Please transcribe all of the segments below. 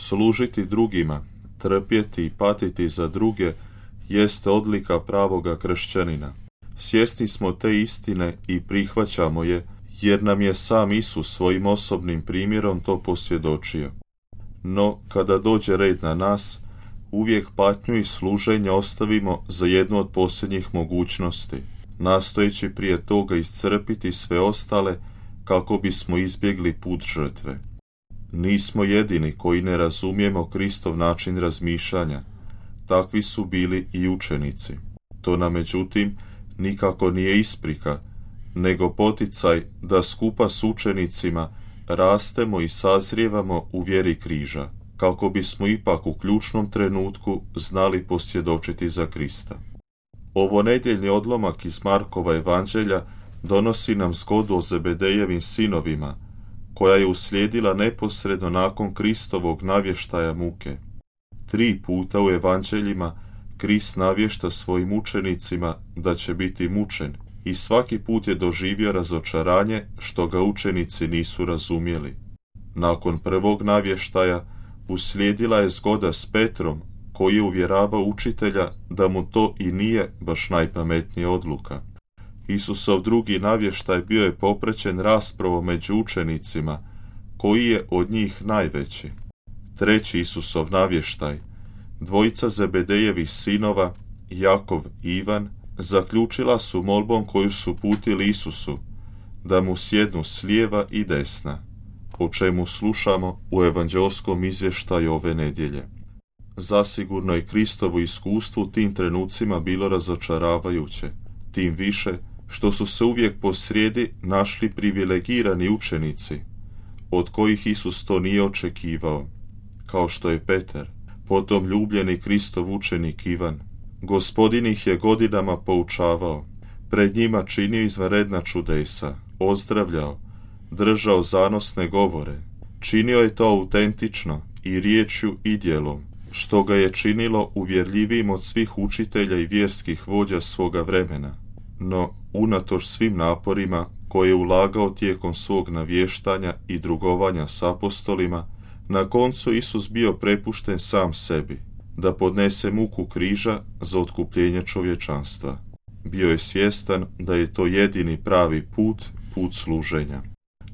Služiti drugima, trpjeti i patiti za druge jeste odlika pravoga kršćanina. Svjesni smo te istine i prihvaćamo je, jer nam je sam Isus svojim osobnim primjerom to posvjedočio. No, kada dođe red na nas, uvijek patnju i služenje ostavimo za jednu od posljednjih mogućnosti, nastojeći prije toga iscrpiti sve ostale kako bismo izbjegli put žrtve. Nismo jedini koji ne razumijemo Kristov način razmišljanja. Takvi su bili i učenici. To nam međutim nikako nije isprika, nego poticaj da skupa s učenicima rastemo i sazrijevamo u vjeri križa, kako bismo ipak u ključnom trenutku znali posvjedočiti za Krista. Ovo nedjeljni odlomak iz Markova evanđelja donosi nam zgodu o Zebedejevim sinovima, koja je uslijedila neposredno nakon Kristovog navještaja muke. 3 puta u evanđeljima Krist navješta svojim učenicima da će biti mučen i svaki put je doživio razočaranje što ga učenici nisu razumjeli. Nakon prvog navještaja uslijedila je zgoda s Petrom, koji je uvjeravao učitelja da mu to i nije baš najpametnija odluka. Isusov drugi navještaj bio je popraćen raspravom među učenicima, koji je od njih najveći. Treći Isusov navještaj, dvojica Zebedejevih sinova, Jakov i Ivan, zaključila su molbom koju su uputili Isusu, da mu sjednu s lijeva i desna, o čemu slušamo u evanđelskom izvještaju ove nedjelje. Zasigurno je Kristovo iskustvo u tim trenucima bilo razočaravajuće, tim više što su se uvijek posrijedi našli privilegirani učenici, od kojih Isus to nije očekivao, kao što je Petar, potom ljubljeni Kristov učenik Ivan. Gospodin ih je godinama poučavao, pred njima činio izvanredna čudesa, ozdravljao, držao zanosne govore. Činio je to autentično i riječju i djelom, što ga je činilo uvjerljivijim od svih učitelja i vjerskih vođa svoga vremena. No, unatoč svim naporima koje je ulagao tijekom svog navještanja i drugovanja s apostolima, na koncu Isus bio prepušten sam sebi, da podnese muku križa za otkupljenje čovječanstva. Bio je svjestan da je to jedini pravi put služenja.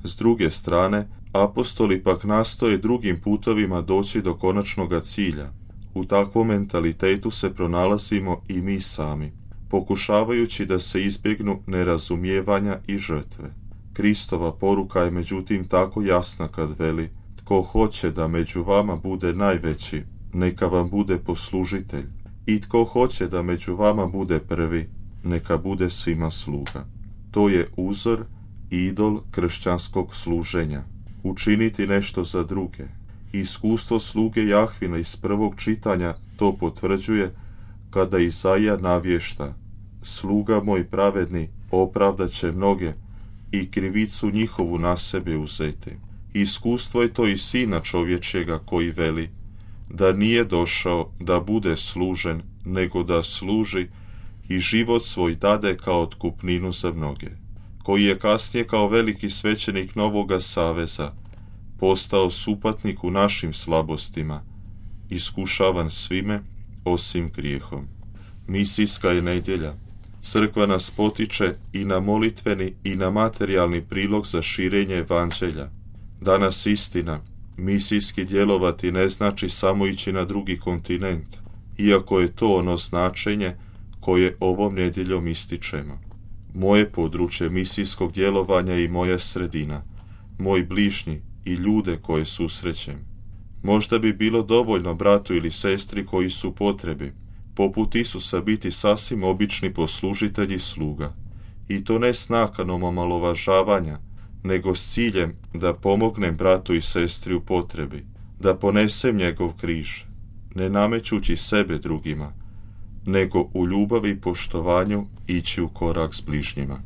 S druge strane, apostoli pak nastoje drugim putovima doći do konačnoga cilja. U takvom mentalitetu se pronalazimo i mi sami, pokušavajući da se izbjegnu nerazumijevanja i žrtve. Kristova poruka je međutim tako jasna kad veli: tko hoće da među vama bude najveći, neka vam bude poslužitelj, i tko hoće da među vama bude prvi, neka bude svima sluga. To je uzor i idol kršćanskog služenja. Učiniti nešto za druge. Iskustvo sluge Jahvina iz prvog čitanja to potvrđuje kada Izaija navješta: sluga moj pravedni opravdat će mnoge i krivicu njihovu na sebe uzeti. Iskustvo je to i Sina čovječjega koji veli da nije došao da bude služen, nego da služi i život svoj dade kao otkupninu za mnoge, koji je kasnije kao veliki svećenik Novoga Saveza postao supatnik u našim slabostima, iskušavan svime osim grijehom. Misijska je nedjelja. Crkva nas potiče i na molitveni i na materijalni prilog za širenje evanđelja. Danas istina, misijski djelovati ne znači samo ići na drugi kontinent, iako je to ono značenje koje ovom nedjeljom ističemo. Moje područje misijskog djelovanja i moja sredina, moj bližnji i ljude koje susrećem. Možda bi bilo dovoljno bratu ili sestri koji su u potrebi, poput Isusa, biti sasvim obični poslužitelji sluga, i to ne s nakanom omalovažavanja, nego s ciljem da pomognem bratu i sestri u potrebi, da ponesem njegov križ, ne namećući sebe drugima, nego u ljubavi i poštovanju ići u korak s bližnjima.